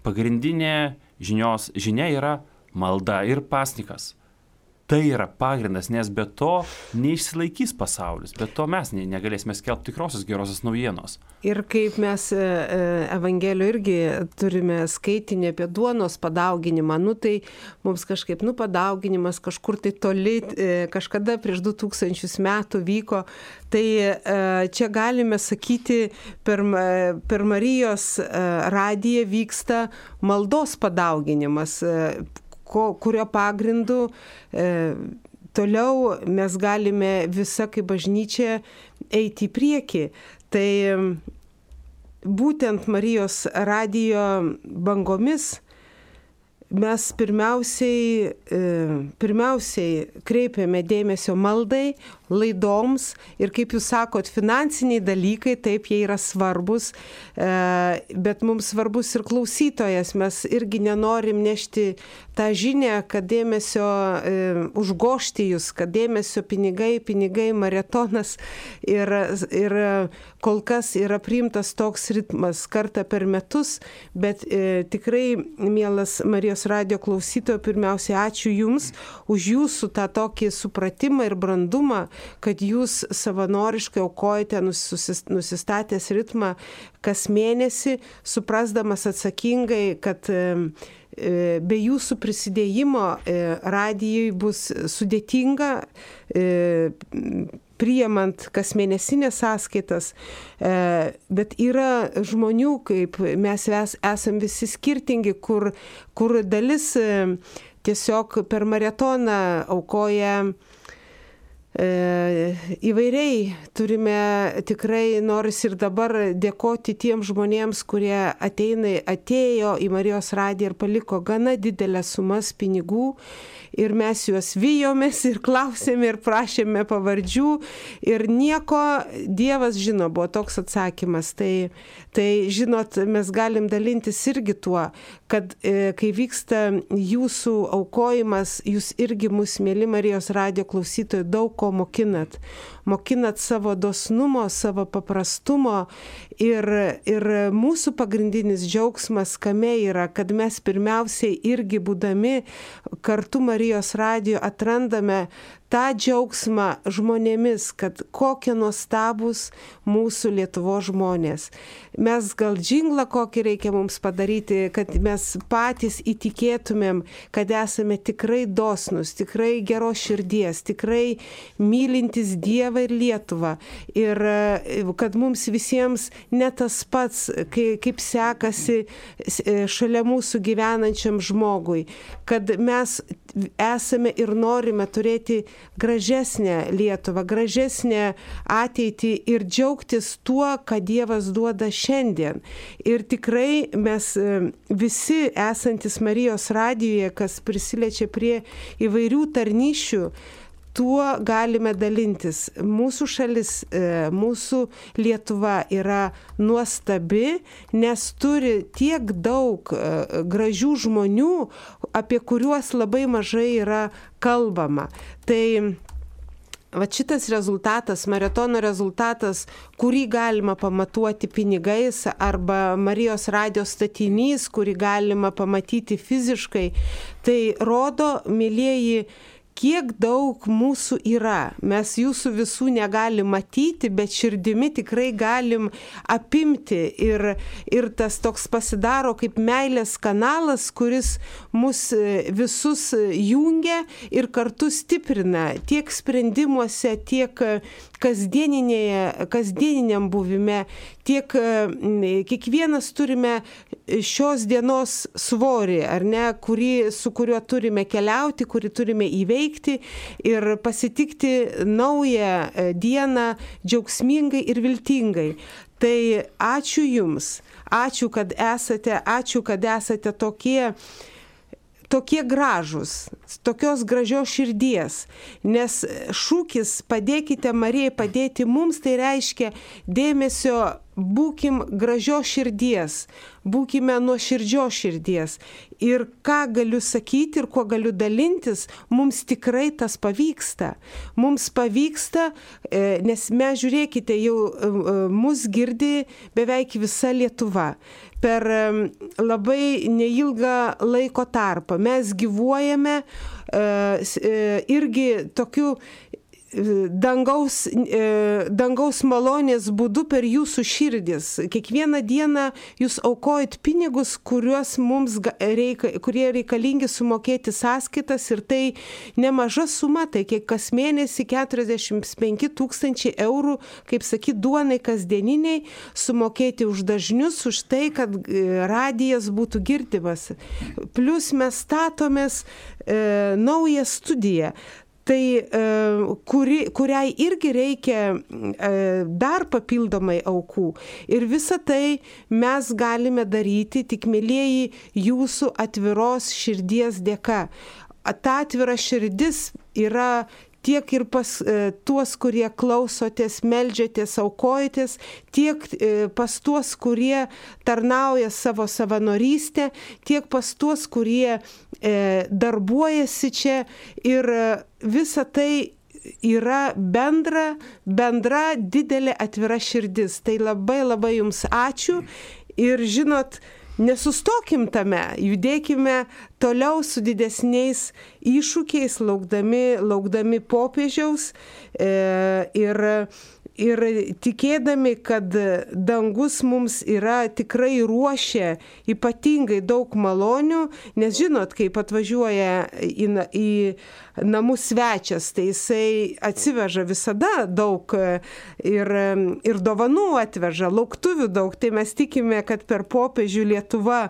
pagrindinė žinios, žinia yra malda ir pasnikas. Tai yra pagrindas, nes be to neišsilaikys pasaulis, be to mes negalėsime skelbti tikrosios gerosios naujienos. Ir kaip mes Evangelijoje irgi turime skaitinį apie duonos padauginimą, nu tai mums kažkaip, nu padauginimas kažkur tai toli, kažkada prieš du tūkstančius metų vyko, tai čia galime sakyti, per, per Marijos radiją vyksta maldos padauginimas, kurio pagrindu e, toliau mes galime visa kaip bažnyčia eiti į priekį. Tai būtent Marijos radijo bangomis mes pirmiausiai, e, pirmiausiai kreipiame dėmesio maldai, laidoms ir kaip jūs sakot, finansiniai dalykai, taip jie yra svarbus, e, bet mums svarbus ir klausytojas, mes irgi nenorim nešti tą žinią, kad dėmesio e, užgošti jūs, kad dėmesio pinigai, pinigai, maratonas ir, ir kol kas yra priimtas toks ritmas kartą per metus, bet e, tikrai, mielas Marijos radijo klausytojo, pirmiausia, ačiū Jums už Jūsų tą tokį supratimą ir brandumą, kad Jūs savanoriškai aukojate nusistatęs ritmą kas mėnesį, suprasdamas atsakingai, kad be Jūsų prisidėjimo radijui bus sudėtinga priimant kas mėnesinės sąskaitas, bet yra žmonių, kaip mes esam visi skirtingi, kur, kur dalis tiesiog per maratoną aukoja įvairiai. Turime tikrai, noris ir dabar dėkoti tiems žmonėms, kurie ateina, atėjo į Marijos radiją ir paliko gana didelės sumas pinigų. Ir mes juos vijomės ir klausėme ir prašėme pavardžių ir nieko, Dievas žino, buvo toks atsakymas. Tai, tai žinot, mes galim dalintis irgi tuo, kad e, kai vyksta jūsų aukojimas, jūs irgi mus, mėly Marijos radijo klausytojai, daug ko mokinat. Mokinat savo dosnumo, savo paprastumo ir, ir mūsų pagrindinis džiaugsmas kame yra, kad mes pirmiausiai irgi būdami kartu Marijos radijo atrandame tą džiaugsmą žmonėmis, kad kokie nuostabus mūsų Lietuvos žmonės. Mes gal džinglą kokį reikia mums padaryti, kad mes patys įtikėtumėm, kad esame tikrai dosnus, tikrai geros širdies, tikrai mylintis Dievą ir Lietuvą. Ir kad mums visiems ne tas pats, kaip sekasi šalia mūsų gyvenančiam žmogui, kad mes esame ir norime turėti gražesnę Lietuvą, gražesnę ateitį ir džiaugtis tuo, ką Dievas duoda šiandien. Ir tikrai mes visi esantis Marijos radijoje, kas prisiliečia prie įvairių tarnyšių, tuo galime dalintis. Mūsų šalis, mūsų Lietuva yra nuostabi, nes turi tiek daug gražių žmonių, apie kuriuos labai mažai yra kalbama. Tai va šitas rezultatas, maratono rezultatas, kurį galima pamatuoti pinigais, arba Marijos radijo statinys, kurį galima pamatyti fiziškai, tai rodo, mielieji, kiek daug mūsų yra. Mes jūsų visų negalim matyti, bet širdimi tikrai galim apimti. Ir, ir tas toks pasidaro kaip meilės kanalas, kuris mus visus jungia ir kartu stiprina tiek sprendimuose, tiek kasdieniniam buvime, tiek kiekvienas turime šios dienos svorį, ar ne, kurį, su kuriuo turime keliauti, kurį turime įveikti ir pasitikti naują dieną džiaugsmingai ir viltingai. Tai ačiū Jums, ačiū, kad esate, ačiū, kad esate tokie, tokie gražūs, tokios gražios širdies, nes šūkis padėkite Marijai padėti mums, tai reiškia dėmesio būkim gražios širdies, būkime nuoširdžios širdies. Ir ką galiu sakyti ir kuo galiu dalintis, mums tikrai tas pavyksta. Mums pavyksta, nes mes, žiūrėkite, jau mus girdi beveik visa Lietuva. Per labai neilgą laiko tarpą mes gyvuojame irgi tokiu dangaus, dangaus malonės būdu per jūsų širdis. Kiekvieną dieną jūs aukojat pinigus, kuriuos mums reika, kurie reikalingi sumokėti sąskaitas, ir tai nemaža suma, tai kiek kas mėnesį keturiasdešimt penki tūkstančiai eurų, kaip sakyt, duonai kasdieniniai, sumokėti už dažnius, už tai, kad radijas būtų girdimas. Plus mes statomės e, naują studiją. Tai kuri, kuriai irgi reikia dar papildomai aukų. Ir visą tai mes galime daryti tik, mielieji, jūsų atviros širdies dėka. Ta atvira širdis yra tiek ir pas e, tuos, kurie klausotės, meldžiatės, aukojatės, tiek e, pas tuos, kurie tarnauja savo savanorystę, tiek pas tuos, kurie e, darbuojasi čia, ir e, visa tai yra bendra, bendra didelė atvira širdis. Tai labai labai jums ačiū ir žinot, nesustokim tame, judėkime toliau su didesniais iššūkiais, laukdami, laukdami popiežiaus e, ir, ir tikėdami, kad dangus mums yra tikrai ruošia ypatingai daug malonių, nes žinot, kaip atvažiuoja į, į namus svečias, tai jisai atsiveža visada daug ir, ir dovanų atveža, lauktuvių daug, tai mes tikime, kad per popiežių Lietuva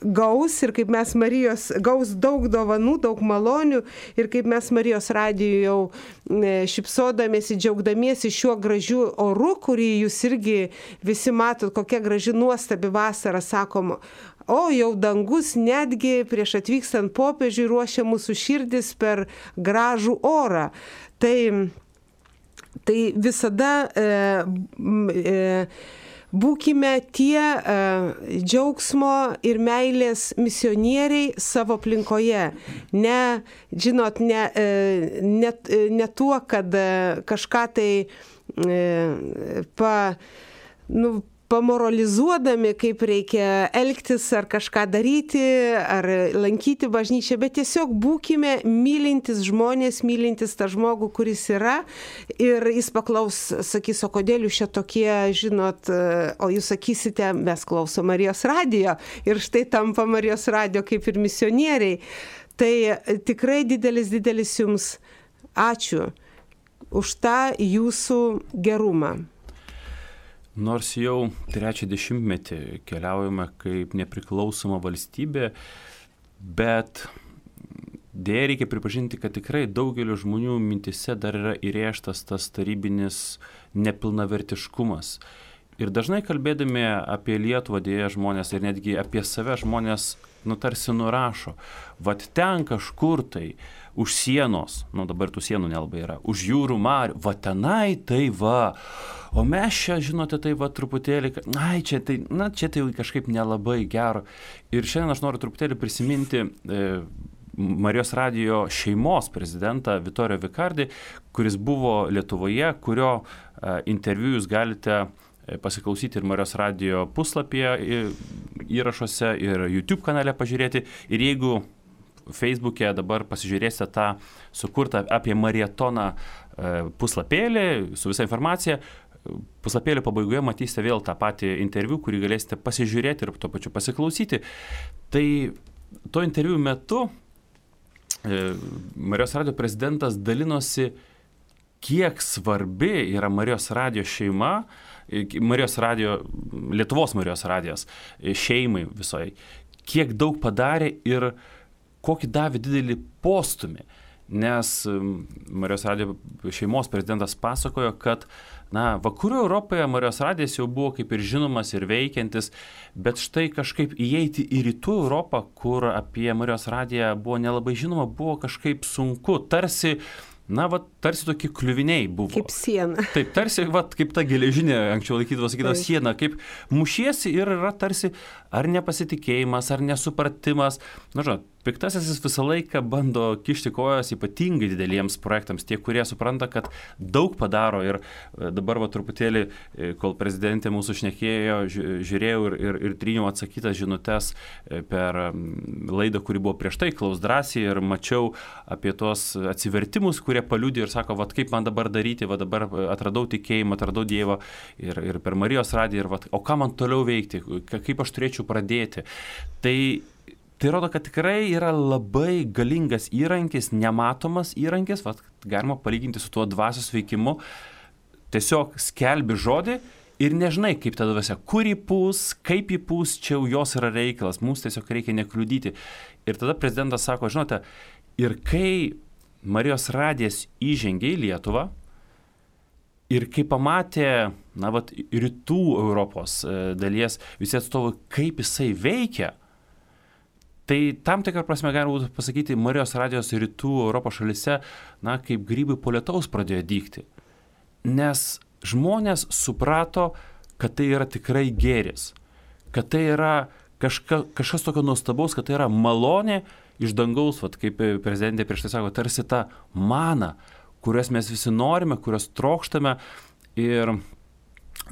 gaus, ir kaip mes Marijos gaus daug dovanų, daug malonių, ir kaip mes Marijos radijo jau šypsodamiesi, džiaugdamiesi šiuo gražiu oru, kurį jūs irgi visi matot, kokia graži nuostabi vasara, sakom, o jau dangus netgi prieš atvykstant popiežiui ruošia mūsų širdis per gražų orą. Tai, tai visada e, e, būkime tie e, džiaugsmo ir meilės misionieriai savo aplinkoje. Ne, žinot, ne, e, ne, ne tuo, kad e, kažką tai e, pa, nu, pamoralizuodami, kaip reikia elgtis ar kažką daryti, ar lankyti bažnyčią, bet tiesiog būkime mylintis žmonės, mylintis tą žmogų, kuris yra, ir jis paklaus, sakys, o kodėl jūs čia tokie, žinot, o jūs sakysite, mes klausom Marijos radijo, ir štai tampa Marijos radijo kaip ir misionieriai. Tai tikrai didelis, didelis jums ačiū už tą jūsų gerumą. Nors jau trečią dešimtmetį keliaujame kaip nepriklausoma valstybė, bet dėja reikia pripažinti, kad tikrai daugelio žmonių mintise dar yra įrėžtas tas tarybinis nepilnavertiškumas. Ir dažnai kalbėdami apie Lietuvą, dėja žmonės, ir netgi apie save žmonės, nu, tarsi nurašo, vat ten kažkur tai už sienos, nu dabar tų sienų nelabai yra, už jūrų marių, va tenai tai va, o mes čia, žinote, tai va truputėlį, ai čia tai, na čia tai kažkaip nelabai gero. Ir šiandien aš noriu truputėlį prisiminti e, Marijos radijo šeimos prezidentą Vittorio Vicardi, kuris buvo Lietuvoje, kurio e, interviu jūs galite pasiklausyti ir Marijos radijo puslapyje įrašuose, ir YouTube kanale pažiūrėti. Ir jeigu Facebook'e dabar pasižiūrėsite tą sukurtą apie marietoną puslapėlį su visa informacija, puslapėlio pabaigoje matysite vėl tą patį interviu, kurį galėsite pasižiūrėti ir tuo pačiu pasiklausyti. Tai to interviu metu Marijos radijo prezidentas dalinosi, kiek svarbi yra Marijos radijo šeima, Marijos radijo, Lietuvos Marijos radijos šeimai visoje, kiek daug padarė ir kokį davė didelį postumį. Nes Marijos radijo šeimos prezidentas pasakojo, kad na, vakarų Europoje Marijos radijas jau buvo kaip ir žinomas ir veikiantis, bet štai kažkaip įeiti į rytų Europą, kur apie Marijos radiją buvo nelabai žinoma, buvo kažkaip sunku. Tarsi na, va, tarsi tokie kliuviniai buvo. Kaip siena. Taip, tarsi, va, kaip ta geležinė, anksčiau laikydavo, sakydavo, siena, kaip mušiesi ir yra tarsi ar nepasitikėjimas, ar nesupratimas. Na, žinot, piktasis jis visą laiką bando kišti kojas ypatingai dideliems projektams, tie, kurie supranta, kad daug padaro ir dabar va truputėlį, kol prezidentė mūsų šnekėjo, žiūrėjau ir, ir, ir tryniau atsakytas žinutes per laidą, kuri buvo prieš tai, Klaus drąsiai, ir mačiau apie tos atsivertimus, kurie paliudė ir sako, va kaip man dabar daryti, va dabar atradau tikėjimą, atradau Dievą ir, ir per Marijos radiją, ir va, o ką man toliau veikti, kaip aš turėčiau pradėti. Tai Tai rodo, kad tikrai yra labai galingas įrankis, nematomas įrankis, vat, galima palyginti su tuo dvasios veikimu, tiesiog skelbi žodį ir nežinai, kaip ta dvasia, kur įpūs, kaip įpūs, čia jau jos yra reikalas, mums tiesiog reikia nekliudyti. Ir tada prezidentas sako, žinote, ir kai Marijos radijas įžengė į Lietuvą ir kai pamatė, na, vat, rytų Europos dalies visi atstovai, kaip jisai veikia, tai tam tikrą prasme galima būtų pasakyti, Marijos radijos rytų Europos šalyse, na, kaip grybai po lietaus pradėjo dygti. Nes žmonės suprato, kad tai yra tikrai gėris, kad tai yra kažka, kažkas tokio nuostabaus, kad tai yra malonė iš dangaus, vat, kaip prezidentė prieš tai sako, tarsi ta mana, kurias mes visi norime, kurias trokštame ir,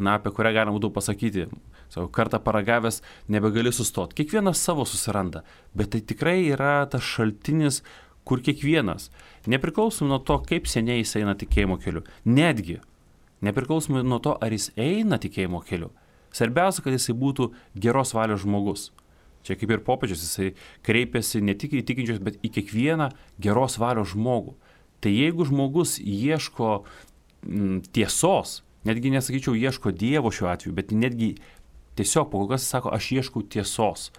na, apie kurią galima būtų pasakyti. Savo kartą paragavęs nebegali sustoti. Kiekvienas savo susiranda, bet tai tikrai yra tas šaltinis, kur kiekvienas, nepriklausomai nuo to, kaip seniai jis eina tikėjimo keliu, netgi nepriklausomai nuo to, ar jis eina tikėjimo keliu. Svarbiausia, kad jisai būtų geros valios žmogus. Čia kaip ir popiežius, jisai kreipiasi ne tik į tikinčius, bet į kiekvieną geros valios žmogų. Tai jeigu žmogus ieško m, tiesos, netgi nesakyčiau ieško Dievo šiuo atveju, bet netgi tiesiog po kokios sako, aš ieškau tiesos.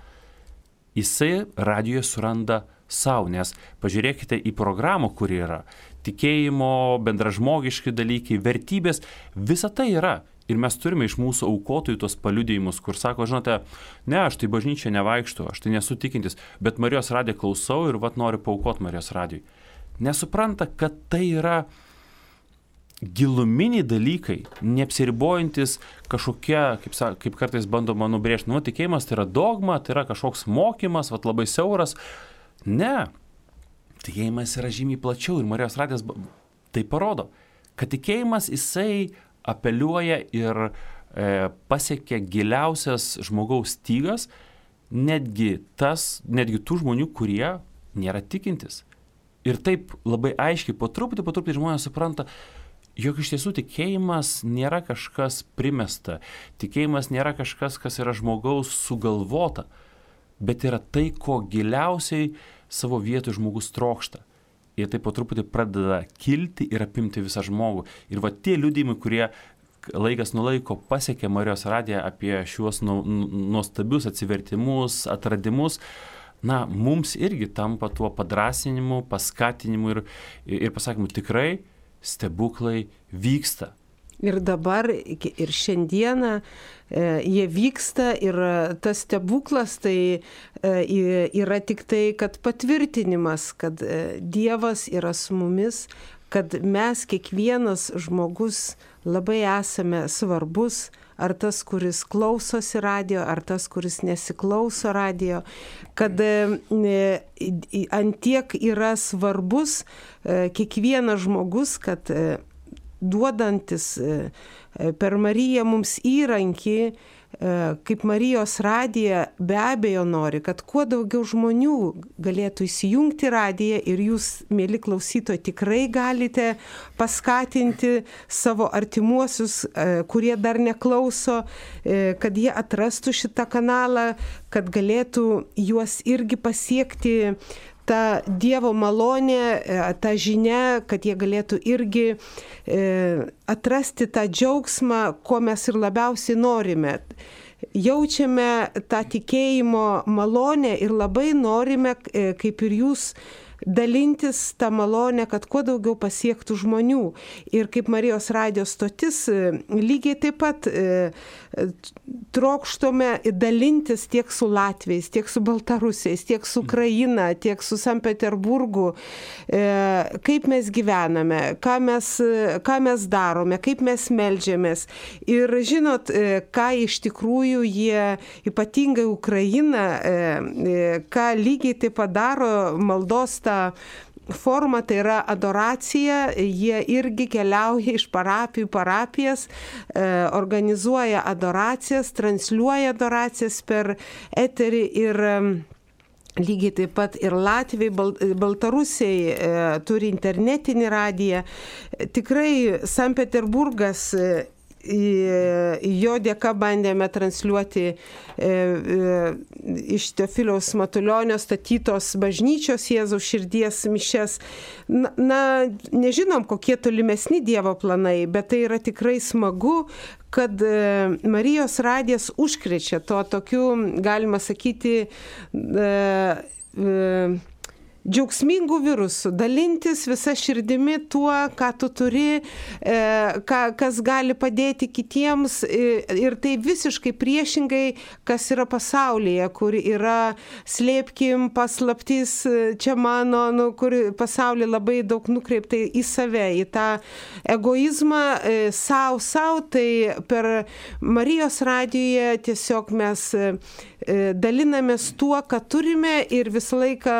Jisai radijoje suranda savo, nes pažiūrėkite į programą, kuri yra. Tikėjimo, bendražmogiški dalykai, vertybės, visa tai yra. Ir mes turime iš mūsų aukotojų tos paliudijimus, kur sako, žinote, ne, aš tai bažnyčia nevaikštu, aš tai nesu tikintis, bet Marijos radiją klausau ir vat noriu paaukoti Marijos radijui. Nesupranta, kad tai yra giluminiai dalykai, neapsiribojantis kažkokie, kaip, kaip kartais bandoma nubrėžti, nu, tikėjimas tai yra dogma, tai yra kažkoks mokymas, vat labai siauras. Ne, tikėjimas yra žymiai plačiau ir Marijos radijas tai parodo, kad tikėjimas jisai apeliuoja ir e, pasiekia giliausias žmogaus stygas, netgi, tas, netgi tų žmonių, kurie nėra tikintis. Ir taip labai aiškiai, po truputį, po truputį žmonės supranta, jog iš tiesų tikėjimas nėra kažkas primesta, tikėjimas nėra kažkas, kas yra žmogaus sugalvota, bet yra tai, ko giliausiai savo vietoj žmogus trokšta. Ir tai po truputį pradeda kilti ir apimti visą žmogų. Ir va tie liudijimai, kurie laikas nuo laiko pasiekė Marijos radiją apie šiuos nu, nuostabius atsivertimus, atradimus, na, mums irgi tampa tuo padrasinimu, paskatinimu ir, ir pasakymu, tikrai stebuklai vyksta. Ir dabar, ir šiandieną e, jie vyksta ir tas stebuklas tai e, yra tik tai, kad patvirtinimas, kad e, Dievas yra su mumis, kad mes kiekvienas žmogus labai esame svarbus, ar tas, kuris klausosi radijo, ar tas, kuris nesiklauso radijo, kad e, antiek yra svarbus e, kiekvienas žmogus, kad e, duodantis per Mariją mums įrankį, kaip Marijos radija be abejo nori, kad kuo daugiau žmonių galėtų įsijungti radiją ir jūs, mėly klausytojai, tikrai galite paskatinti savo artimuosius, kurie dar neklauso, kad jie atrastų šitą kanalą, kad galėtų juos irgi pasiekti ta Dievo malonė, ta žinia, kad jie galėtų irgi e, atrasti tą džiaugsmą, ko mes ir labiausiai norime. Jaučiame tą tikėjimo malonę ir labai norime, e, kaip ir jūs, dalintis tą malonę, kad kuo daugiau pasiektų žmonių. Ir kaip Marijos radijo stotis, lygiai taip pat trokštome dalintis tiek su Latviais, tiek su Baltarusiais, tiek su Ukraina, tiek su Sankt Peterburgu, kaip mes gyvename, ką mes, ką mes darome, kaip mes meldžiamės. Ir žinot, ką iš tikrųjų jie, ypatingai Ukraina, ką lygiai taip padaro maldos tą forma, tai yra adoracija, jie irgi keliauja iš parapijų parapijas, e, organizuoja adoracijas, transliuoja adoracijas per eterį ir e, lygiai taip pat ir Latvijai, Bal, Baltarusiai e, turi internetinį radiją. Tikrai Sankt Peterburgas, e, jo dėka bandėme transliuoti e, e, iš Teofiliaus Matulionio statytos bažnyčios Jėzaus širdies mišias. Na, na, nežinom, kokie tolimesni Dievo planai, bet tai yra tikrai smagu, kad e, Marijos radijas užkrečia to tokiu, galima sakyti, e, e, džiaugsmingų virusų, dalintis visa širdimi tuo, ką tu turi, e, ką, kas gali padėti kitiems, e, ir tai visiškai priešingai, kas yra pasaulyje, kur yra slėpkim, paslaptis, čia mano, nu, kur pasaulyje labai daug nukreipta į save, į tą egoizmą, e, savo, savo, tai per Marijos radijoje tiesiog mes e, dalinamės tuo, ką turime ir visą laiką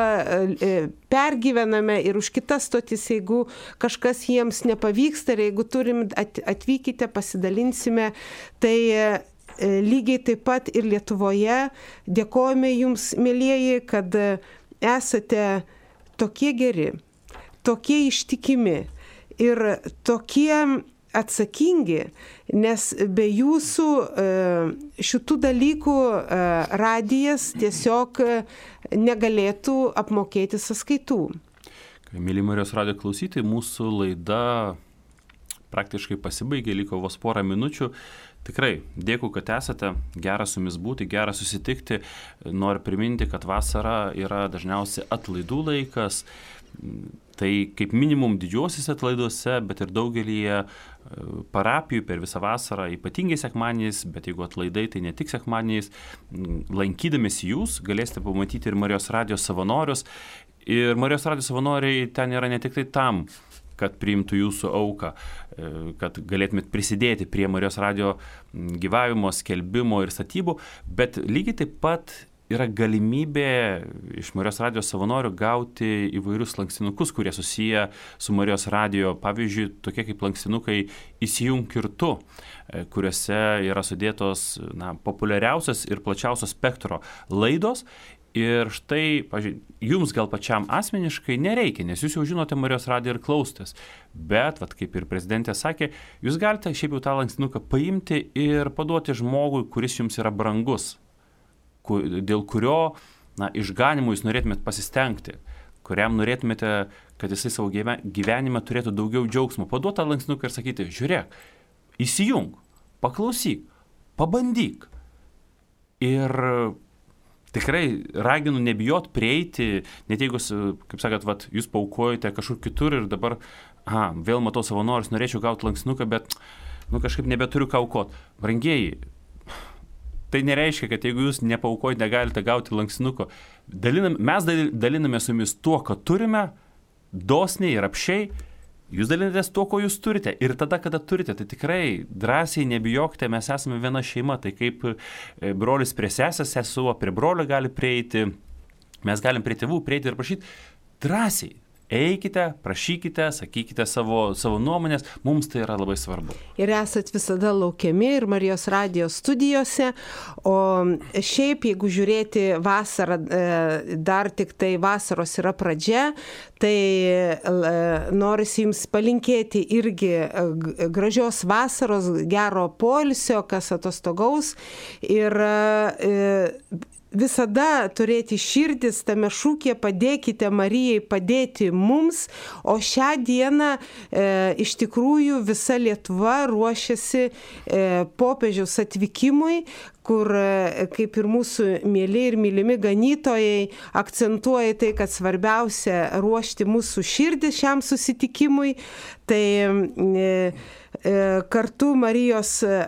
e, pergyvename ir už kitas stotis, jeigu kažkas jiems nepavyksta ir jeigu turim, atvykite, pasidalinsime, tai lygiai taip pat ir Lietuvoje dėkojame jums, mielieji, kad esate tokie geri, tokie ištikimi ir tokie atsakingi, nes be jūsų šitų dalykų radijas tiesiog negalėtų apmokėti sąskaitų. Mėly Marijos radijo klausytojai, mūsų laida praktiškai pasibaigė, liko vos porą minučių. Tikrai dėkui, kad esate, gera su jumis būti, gera susitikti. Noriu priminti, kad vasara yra dažniausiai atlaidų laikas. Tai kaip minimum didžiuosiuose atlaiduose, bet ir daugelįje parapijų per visą vasarą, ypatingai sekmadieniais, bet jeigu atlaidai, tai ne tik sekmadieniais, lankydamėsi jūs, galėsite pamatyti ir Marijos radijo savanorius. Ir Marijos radijo savanoriai ten yra ne tik tai tam, kad priimtų jūsų auką, kad galėtumėt prisidėti prie Marijos radijo gyvavimo, skelbimo ir statybų, bet lygiai taip pat yra galimybė iš Marijos radijo savanorių gauti įvairius lankstinukus, kurie susiję su Marijos radijo, pavyzdžiui, tokie kaip lankstinukai Įsijunk ir tu, kuriuose yra sudėtos na, populiariausios ir plačiausio spektro laidos. Ir štai, pažiūrėjau, jums gal pačiam asmeniškai nereikia, nes jūs jau žinote Marijos radiją ir klausotės. Bet, vat, kaip ir prezidentė sakė, jūs galite šiaip jau tą lankstinuką paimti ir paduoti žmogui, kuris jums yra brangus, dėl kurio na, išganimų jūs norėtumėte pasistengti, kuriam norėtumėte, kad jisai savo gyvenime turėtų daugiau džiaugsmo. Paduoti tą lankstinuką ir sakyti, žiūrėk, įsijung, paklausyk, pabandyk. Ir tikrai raginu nebijot prieiti, net jeigu, kaip sakot, vat, jūs paaukojate kažkur kitur ir dabar, aha, vėl matau savanorius, norėčiau gauti lankstinuką, bet nu, kažkaip nebeturiu ką aukot. Brangieji, tai nereiškia, kad jeigu jūs nepaaukojate, negalite gauti lankstinuko. Dalinam, mes daliname su jumis tuo, ką turime, dosniai ir apšiai. Jūs dalinatės tuo, ko jūs turite. Ir tada, kada turite, tai tikrai drąsiai nebijokite, mes esame viena šeima. Tai kaip brolis prie sesės, sesuo prie brolio gali prieiti, mes galim prie tėvų prieiti ir prašyti drąsiai. Eikite, prašykite, sakykite savo, savo nuomonės, mums tai yra labai svarbu. Ir esat visada laukiami ir Marijos radijo studijose, o šiaip, jeigu žiūrėti vasarą, dar tik tai vasaros yra pradžia, tai norisi jums palinkėti irgi gražios vasaros, gero poilsio, kas atostogaus ir visada turėti širdis tame šūkyje padėkite Marijai padėti mums, o šią dieną e, iš tikrųjų visa Lietuva ruošiasi e, popiežiaus atvykimui, kur, kaip ir mūsų mėly ir mylimi ganytojai, akcentuoja tai, kad svarbiausia ruošti mūsų širdį šiam susitikimui. Tai e, e, kartu Marijos, e,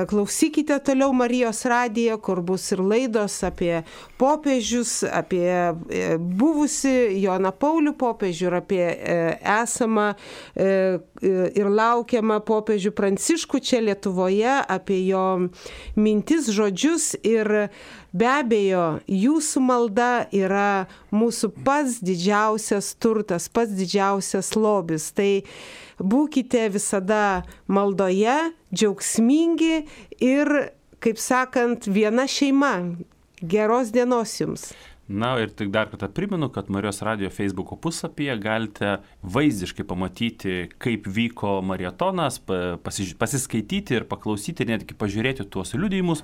klausykite toliau Marijos radiją, kur bus ir laidos apie popiežius, apie e, buvusi Joną Paulių popiežių ir apie e, esamą e, ir laukiamą popiežių Pranciškų čia Lietuvoje, apie jo mintis, žodžius ir be abejo, jūsų malda yra mūsų pats didžiausias turtas, pats didžiausias lobis. Tai būkite visada maldoje, džiaugsmingi ir, kaip sakant, viena šeima. Geros dienos jums. Na ir tik dar kartą primenu, kad Marijos radijo Facebooko puslapyje galite vaizdiškai pamatyti, kaip vyko marietonas, pasiskaityti ir paklausyti, netgi pažiūrėti tuos liudijimus,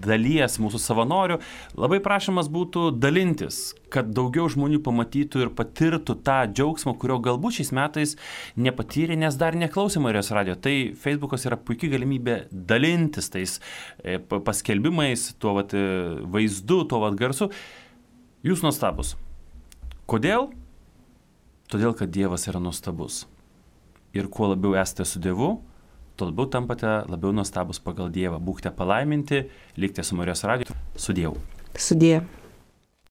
dalies mūsų savanorių. Labai prašymas būtų dalintis, kad daugiau žmonių pamatytų ir patirtų tą džiaugsmą, kurio galbūt šiais metais nepatyrė, nes dar neklausė Marijos radijo. Tai Facebookas yra puikia galimybė dalintis tais paskelbimais, tuo vat vaizdu, tuo vat garsu. Jūs nuostabus. Kodėl? Todėl, kad Dievas yra nuostabus. Ir kuo labiau esate su Dievu, tuo labiau tampate labiau nuostabus pagal Dievą. Būkite palaiminti, likite su Marijos radiju. Su Dievu. Su Dievu.